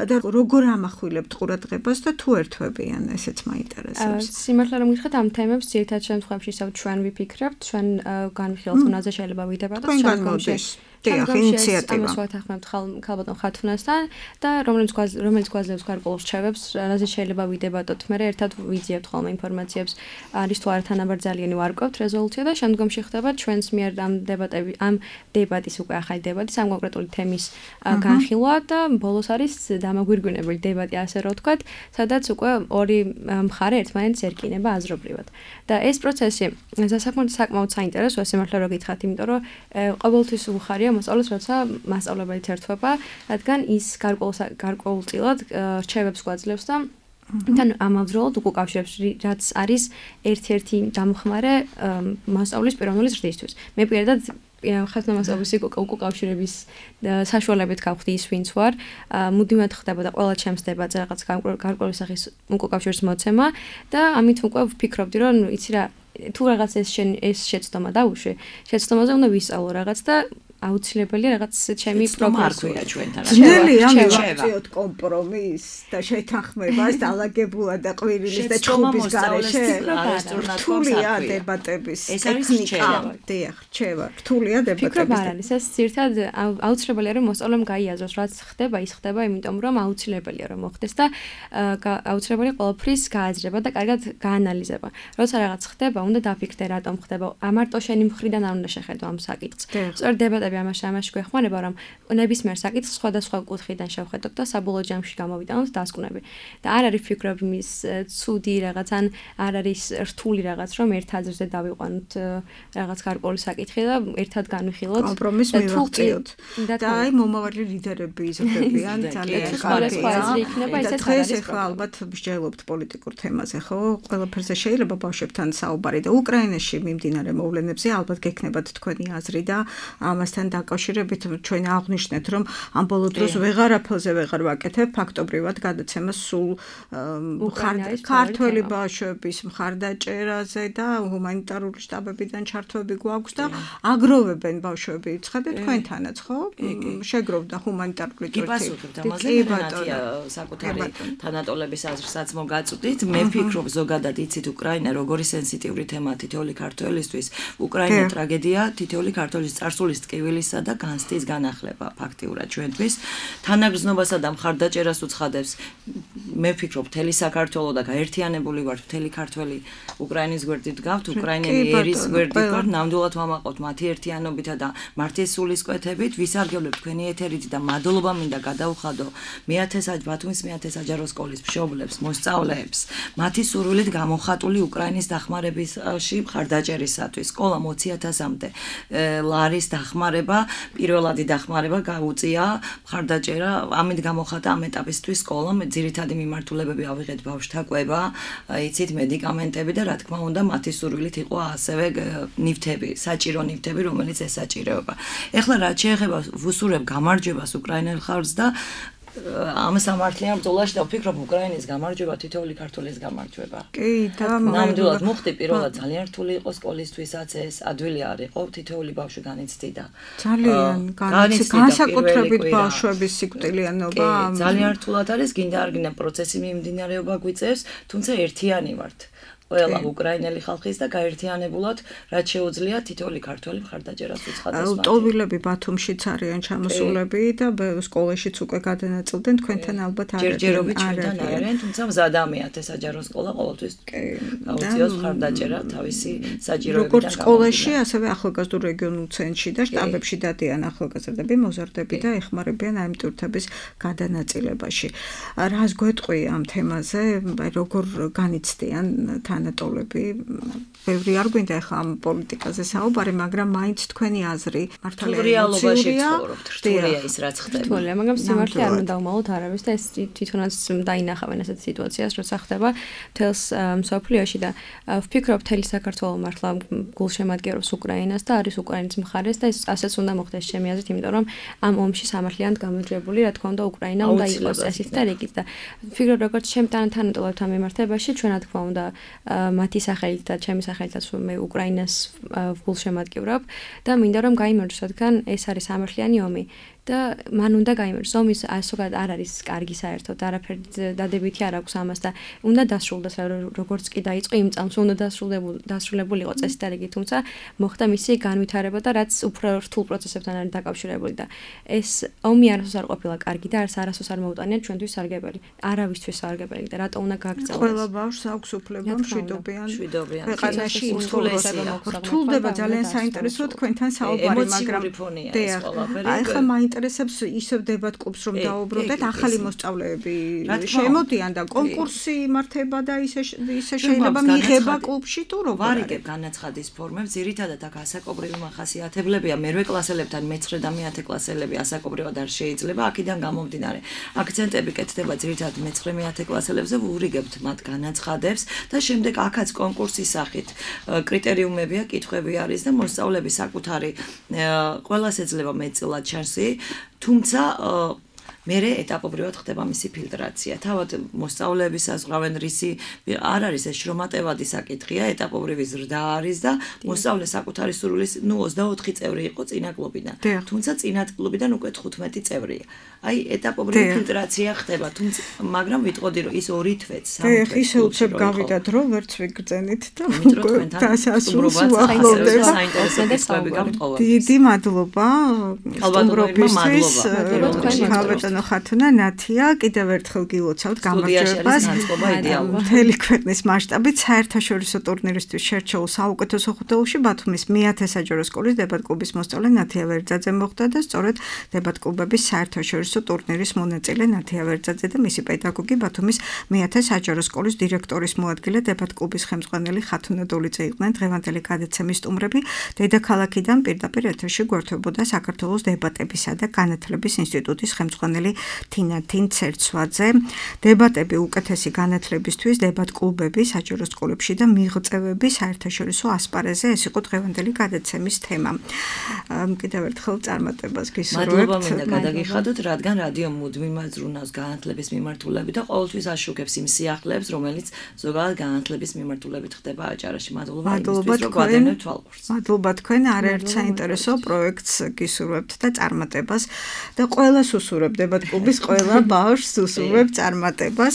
და როგორ ამახვილებთ ყურადღებას და თუ ერთვებიან, ესეც მაინტერესებს. სიმართლე რომ გითხრათ, ამ თემებს ძირითად შემთხვევაში ჩვენ ვიფიქრებთ, ჩვენ განვიხილავთ, თუნდაც შეიძლება ვიდებოდოთ ჩვენ ინიციატივა. ამას ვათანხმებთ ხალბატონ ხათუნასთან და რომელიც გვაძლევს გარკვეულ რჩევებს, რაზე შეიძლება ვიდებოდოთ, მე ერთად ვიძიებთ ხოლმე ინფორმაციებს, არის თუ არა თანაბრძალიანი ვარკვევთ რეზოლუცია და შემდგომში ხდება ჩვენს მიერ ამ დებატის უკვე ახალი დებატის ამ კონკრეტული თემის განხილვა და ბოლოს არის დამაგვირგვინებელი დებატი, ასე რომ ვთქვათ, სადაც უკვე ორი მხარე ერთმანეთს ერკინება აზრობრივად. და ეს პროცესი საკმაოდ საინტერესოა, სიმართლე რომ გითხრათ, იმიტომ რომ ყოველთვის უხარია მოსწავლეს, როცა მასწავლებელიც ერთვება, რადგან ის გარკვეულწილად რჩევებს გვაძლევს და თან ამავდროულად უკავშირებს, რაც არის ერთ-ერთი დამხმარე მასწავლის პიროვნული ზრდისთვის. მე პირადად ხათუნამასწავლის უკავშირების საშუალებით გავხდი ის ვინც ვარ, მუდმივად ხდებოდა ყველა ჩემს დებატზე რაღაც გარკვეული სახის უკავშირის მოცემა და ამით უკვე ვფიქრობდი, რომ იცი რა, თუ რაღაც ეს შეცდომა დაუშვი, შეცდომაზე უნდა ვისწავლო რაღაც და აუცილებელია რაღაც ჩემი პროგრესია ჩვენთან. ძნელია მივაწიოთ კომპრომისს და შეთანხმებას დაალაგებულად და ყვირილის და ჩხუბის გარეშე. რთულია დებატების ტექნიკა. დიახ, რჩევა. რთულია დებატების. ფიქრობ არ არის ეს ძირთად აუცილებელია რომ მოსწავლემ გაიაზროს, რაც ხდება, ის ხდება, იმიტომ რომ აუცილებელია რომ მოხდეს და აუცილებელია ყველაფრის გააზრება და კარგად გაანალიზება. როცა რაღაც ხდება, უნდა დაფიქრდე რატომ ხდება. ამარტო შენი მხრიდან არ უნდა შეხედო ამ საკითხს. სწორედ დებატები ამაში გვეხმარება, რომ ნებისმიერ საკითხს სხვადასხვა კუთხიდან შევხედოთ და საბოლოო ჯამში გამოვიტანოთ დასკვნები. და არ არის ფიქრობ იმის ცუდი რაღაც ან არ არის რთული რაღაც, რომ ერთ აზრზე დავიყვანოთ რაღაც გარკვეული საკითხი და ერთად განვიხილოთ. კომპრომისს მივაღწიოთ. და აი მომავალი ლიდერები იზრდებიან ძალიან კარგია. და დღეს ახლა ალბათ მსჯელობთ პოლიტიკურ თემაზე, ხო? ყველაფერზე შეიძლება ბავშვებთან საუბარი და უკრაინაში მიმდინარე მოვლენებზე ალბათ გექნებათ თქვენი აზრი და ამასთან დაკავშირებით ჩვენ აღვნიშნეთ, რომ ამ ბოლო დროს ვეღარაფერზე ვეღარ ვაკეთებ ფაქტობრივად გადაცემას სულ ქართველი ბავშვების მხარდაჭერაზე და ჰუმანიტარული შტაბებიდან ჩართვები გვაქვს და აგროვებენ ბავშვები. ცხადეთ თქვენთანაც, ხო? შეგროვდა ჰუმანიტარული ჯგუფი. კი, პასუხობთ ამაზე, ნათია საკუთარი თანატოლების აზრსაც მოგაწვდით. მე ვფიქრობ, ზოგადად იცით უკრაინა როგორი სენსიტიური თემაა თითოეული ქართველისთვის. უკრაინა ტრაგედია თითოეული ქართველის წარსულის ტკივილისა და განცდის განახლება ფაქტიურად ჩვენთვის. თანაგრძნობასა და მხარდაჭერას უცხადებს. მე ვფიქრობ, მთელი საქართველო და გაერთიანებული ვართ, მთელი ქართველი უკრაინის გვერდით გავთ, უკრაინელი ერის გვერდით ვართ, ნამდვილად ვამაყობთ მათი ერთიანობითა და მართლის სულისკვეთებით. ვისარგებლებ თქვენი ეთერით და მადლობა მინდა გადაუხადო ბათუმის მეათე საჯარო სკოლის მშობლებს, მოსწავლეებს, მათი სურვილით გამოხატული უკრაინის დახმარებაში მხარდაჭერისათვის. სკოლა 20.000-მდე ლარის დახმარება, პირველადი დახმარება გაუწია მხარდაჭერა, ამით გამოხატა ამ ეტაპისთვის სკოლამ ძირითადი მიმართულებები ავიღეთ ბავშვთა კვება, იცით მედიკამენტები და რა თქმა უნდა მათი სურვილით იყო ასევე ნივთები, საჭირო ნივთები, რომელიც ესაჭიროება. ეხლა რაც შეეხება ვუსურებ გამარჯვებას უკრაინელ ხალხს და ამ სამართლიან ბრძოლაში და ვფიქრობ უკრაინის გამარჯვება თითოეული ქართველის გამარჯვება. კი, და ნამდვილად მოხდი პირველად ძალიან რთული იყო სკოლისთვისაც ეს ადვილი არ იყო, თითოეული ბავშვი განიცდიდა. ძალიან განსაკუთრებით ბავშვების სიკვდილიანობა. ძალიან რთულად არის, გინდა არ გინდა პროცესი მიმდინარეობა გვიწევს, თუმცა ერთიანი ვართ. ყველა უკრაინელი ხალხის და გაერთიანებულად რაც შეუძლია თითოეული ქართველი მხარდაჭერას უცხადოს. ლტოლვილები ბათუმშიც არიან ჩამოსულები და სკოლაშიც უკვე გადანაწილდნენ, თქვენთან ალბათ არ არის. ჯერჯერობით ჩვენთან არიან, თუმცა მზადამიათ ეს საჯარო სკოლა ყოველთვის გაუწიოს მხარდაჭერა თავისი საჭიროებიდან. როგორც სკოლაში, ასევე ახალგაზრდულ რეგიონულ ცენტრში და შტაბებში დადიან ახალგაზრდები, მოზარდები და ეხმარებიან ამ ტურთების გადანაწილებაში. რას გვეტყვი ამ თემაზე, როგორ განიცდიან თან განატოლები. ბევრი არ გვინდა ახლა ამ პოლიტიკაზე საუბარი, მაგრამ მაინც თქვენი აზრი მართალია რეალობაში ცხოვრობთ, რთულია ის რაც ხდება. რთულია, მაგრამ სიმართლე არ უნდა დავმალოთ არავის და ეს თვითონაც დაინახავენ ასეთ სიტუაციას, როცა ხდება მთელს მსოფლიოში და ვფიქრობ მთელი საქართველო მართლა გულშემატკივრობს უკრაინას და არის უკრაინის მხარეს და ეს ასეც უნდა მოხდეს ჩემი აზრით, იმიტომ რომ ამ ომში სამართლიანად გამარჯვებული, რა თქმა უნდა, უკრაინა უნდა იყოს ესეთ და რიგით და ვფიქრობ როგორც ჩემ თანატოლებთან მიმართებაში ჩვენ რა თქმა უნდა მათი სახელით და ჩემი სახელითაც მე უკრაინას გულშემატკივრობ და მინდა რომ გაიმარჯვოს, რადგან ეს არის სამართლიანი ომი. და მან უნდა გაიმარჯვოს. ომის ასოგად არ არის კარგი საერთოდ, არაფერი დადებითი არ აქვს ამას და უნდა დასრულდეს, როგორც კი დაიწყო იმ წამს უნდა დასრულებული იყო წესი და რიგი, თუმცა მოხდა მისი განვითარება და რაც უფრო რთულ პროცესებთან არის დაკავშირებული და ეს ომი არასოდეს არ ყოფილა კარგი და არასოდეს არ მოუტანია ჩვენთვის სარგებელი, არავისთვის სარგებელი და რატო უნდა გაგრძელდეს. ყველა ბავშვს აქვს უფლება მშვიდობიან ქვეყანაში ცხოვრებას. რთულდება ძალიან საინტერესო თქვენთან საუბარი, მაგრამ ახლა ინტერესებს ისევ დებატ კლუბს რომ დაუბრუნდეთ, ახალი მოსწავლეები შემოდიან და კონკურსი იმართება და ისე შეიძლება მიიღება კლუბში თუ როგორ ვარიგებ განაცხადის ფორმებს, ძირითადად აქ ასაკობრივი მახასიათებლებია, მერვე კლასელებთან მე-9 და მე-10 კლასელები ასაკობრივად არ შეიძლება, აქედან გამომდინარე. აქცენტები კეთდება ძირითადად მე-9 მე-10 კლასელებზე, ვურიგებთ მათ განაცხადებს და შემდეგ აქაც კონკურსის სახით კრიტერიუმებია, კითხვები არის და მოსწავლეები საკუთარი ყველას ეძლევა მეტწილად შანსი, თუმცა მერე ეტაპობრივად ხდება მისი ფილტრაცია. თავად მოსწავლეების საზღვრავენ რისი არ არის ეს შრომატევადი საკითხია, ეტაპობრივი ზრდა არის და მოსწავლე საკუთარი სურვილის 24 წევრი იყო წინა კლუბიდან. თუმცა წინა კლუბიდან უკვე 15 წევრია. აი ეტაპობრივი ფილტრაცია ხდება, თუმცა მაგრამ ვიტყოდი რომ ის 2 თვეც, 3 თვეც ისე უცებ გავიდა დრო, ვერც ვიგრძენით და დასასრულს უახლოვდება. საინტერესო გამტყოვა. დიდი მადლობა სტუმრობისთვის. ბატონო ხათუნა, ნათია, კიდევ ერთხელ გილოცავთ გამარჯვებას. მთელი ქვეყნის მასშტაბით საერთაშორისო ტურნირისთვის შერჩეულ საუკეთესო ხუთეულში ბათუმის მე-10 საჯარო სკოლის დებატ-კლუბის მოსწავლე ნათია ვერძაძე მოხვდა და სწორედ დებატ-კლუბების საერთაშორისო ტურნირის მონაწილე ნათია ვერძაძე და მისი პედაგოგი ბათუმის მე-10 საჯარო სკოლის დირექტორის მოადგილე დებატ-კლუბის ხელმძღვანელი ხათუნა დოლიძე იყვნენ დღევანდელი გადაცემის სტუმრები. დედაქალაქიდან პირდაპირ ეთერში გვერდებოდა საქართველოს დებატებისა და განათლების ინსტიტუტის ხელმძღვანელი თინათინ ცერცვაძე. დებატები უკეთესი განათლებისთვის, დებატ-კლუბები საჯარო სკოლებში და მიღწევები საერთაშორისო ასპარეზზე, ეს იყო დღევანდელი გადაცემის თემა. კიდევ ერთხელ წარმატებას გისურვებთ. მადლობა მინდა გადაგიხადოთ, რადგან რადიო მუდმივად ზრუნავს განათლების მიმართულებით და ყოველთვის აშუქებს იმ სიახლეებს, რომელიც ზოგადად განათლების მიმართულებით ხდება აჭარაში. მადლობა იმისთვის, რომ გვადევნებთ თვალყურს. მადლობა თქვენ, არაერთ საინტერესო პროექტს გისურვებთ და წარმატებას და ყველას უსურვებ დებატ-კლუბის ყველა ბავშვს უსურვებ წარმატებას.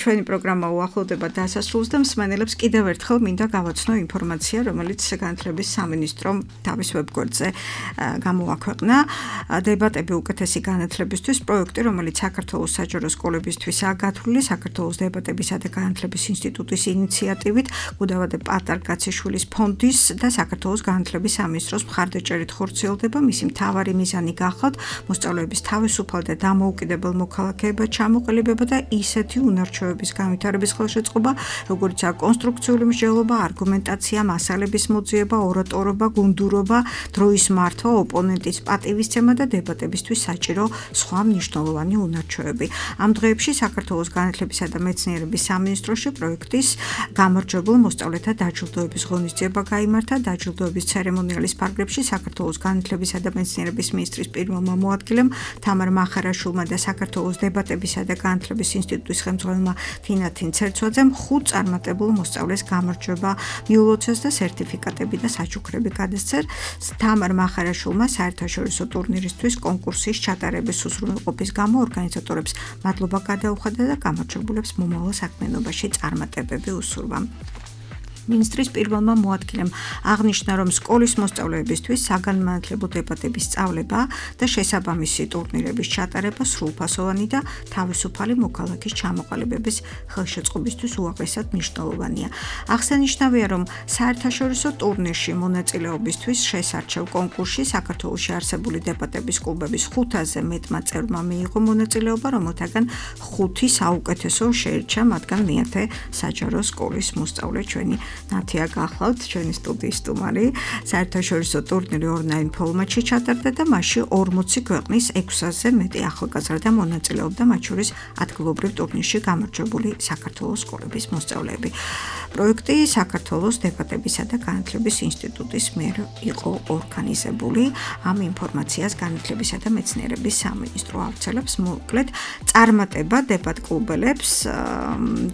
ჩვენი პროგრამა უახლოვდება დასასრულს და მსმენელებს კიდევ ერთხელ მინდა გავაცნო ინფორმაცია, რომელიც განათლების სამინისტრომ თავის ვებგვერდზე გამოაქვეყნა. დებატები უკეთესი განათლებისთვის პროექტი, რომელიც საქართველოს საჯარო სკოლებისთვისაა გათვლილი, საქართველოს დებატებისა და განათლების ინსტიტუტის ინიციატივით, გუდავადე პატარ-კაციშვილის ფონდის და საქართველოს განათლების სამინისტროს მხარდაჭერით ხორციელდება. მისი მთავარი მიზანი გახლავთ მოსწავლეების თავისუფალ და დამოუკიდებელ მოქალაქეებად ჩამოყალიბება და ისეთი უნარჩვევების განვითარების ხელშეწყობა, როგორიცაა კონსტრუქციული მსჯელობა, არგუმენტაცია, მასალების მოძიება, ორატორობა, გუნდურობა, დროის მართვა, ოპონენტის პატივისცემა და დებატებისთვის საჭირო სხვა მნიშვნელოვანი უნარჩვევები. ამ დღეებში საქართველოს განათლებისა და მეცნიერების სამინისტროში პროექტის გამარჯვებულ მოსწავლეთა დაჯილდოების ღონისძიება გაიმართა. დაჯილდოების ცერემონიალის ფარგლებში საქართველოს განათლებისა და მეცნიერების მინისტრის პირველმა მოადგილემ თამარ მახარაშვილმა და საქართველოს დებატებისა და განათლების ინსტიტუტის ხელმძღვანელმა თინათინ ცერცვაძემ 5 წარმატებულ მოსწავლეს გამარჯვება მიულოცეს და სერტიფიკატები და საჩუქრები გადასცეს. თამარ მახარაშვილმა საერთაშორისო ტურნირისთვის კონკურსის ჩატარების უზრუნველყოფის გამო ორგანიზატორებს მადლობა გადაუხადა და გამარჯვებულებს მომავალ საქმიანობაში წარმატებები უსურვა. მინისტრის პირველმა მოადგილემ აღნიშნა, რომ სკოლის მოსწავლეებისთვის საგანმანათლებლო დებატების სწავლება და შესაბამისი ტურნირების ჩატარება სრულფასოვანი და თავისუფალი მოქალაქის ჩამოყალიბების ხელშეწყობისთვის უაღრესად მნიშვნელოვანია. აღსანიშნავია, რომ საერთაშორისო ტურნირში მონაწილეობისთვის შესარჩევ კონკურსში საქართველოში არსებული დებატების კლუბების 500-ზე მეტმა წევრმა მიიღო მონაწილეობა, რომელთაგან 5 საუკეთესო შეირჩა, მათგან მეათე საჯარო სკოლის მოსწავლე ჩვენი ნათია გახლავთ, ჩვენი სტუდიის სტუმარი. საერთაშორისო ტურნირი ონლაინ ფორმატში ჩატარდა და მასში 40 ქვეყნის 600-ზე მეტი ახალგაზრდა მონაწილეობდა, მათ შორის ადგილობრივ ტურნირში გამარჯვებული საქართველოს სკოლების მოსწავლეები. პროექტი საქართველოს დებატებისა და განათლების ინსტიტუტის მიერ იყო ორგანიზებული. ამ ინფორმაციას განათლებისა და მეცნიერების სამინისტრო ავრცელებს. მოკლედ, წარმატება დებატ კლუბელებს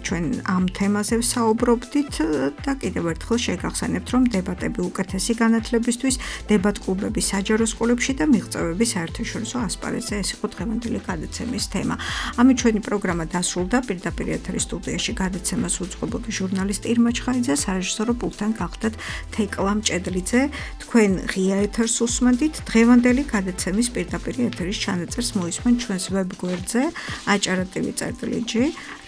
ჩვენ ამ თემაზე ვსაუბრობდით და კიდევ ერთხელ შეგახსენებთ, რომ დებატები უკეთესი განათლებისთვის, დებატ კლუბები საჯარო სკოლებში და მიღწევები საერთაშორისო ასპარეზზე ეს იყო დღევანდელი გადაცემის თემა. ამით ჩვენი პროგრამა დასრულდა. პირდაპირ ეთერის სტუდიაში გადაცემას უძღვებოდი ჟურნალისტი ირმა ჩხაიძე, სარეჟისორო პულტთან გახდათ თეკლა მჭედლიძე. თქვენ ღია ეთერს უსმენთ. დღევანდელი გადაცემის პირდაპირ ეთერის ჩანაწერს მოისმენთ ჩვენს ვებგვერდზე acara.tv/g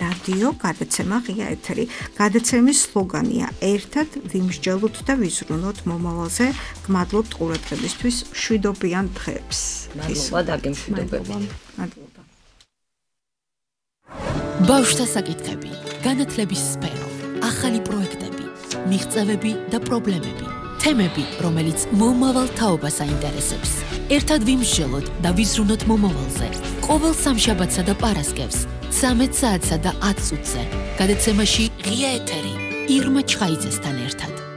რადიო გადაცემა ღია ეთერი. გადაცემის სლოგანია ერთად ვიმსჯელოთ და ვიზრუნოთ მომავალზე. გმადლობთ ყურადღებისთვის. მშვიდობიან დღეებს. მადლობა დაგემშვიდობები. მადლობა. ბავშვთა საკითხები, განათლების სფერო, ახალი პროექტები, მიღწევები და პრობლემები, თემები, რომელიც მომავალ თაობას აინტერესებს. ერთად ვიმსჯელოთ და ვიზრუნოთ მომავალზე. ყოველ სამშაბათსა და პარასკევს 13 საათსა და 10 წუთზე. გადაცემაში ღია ეთერი ირმა ჩხაიძესთან ერთად.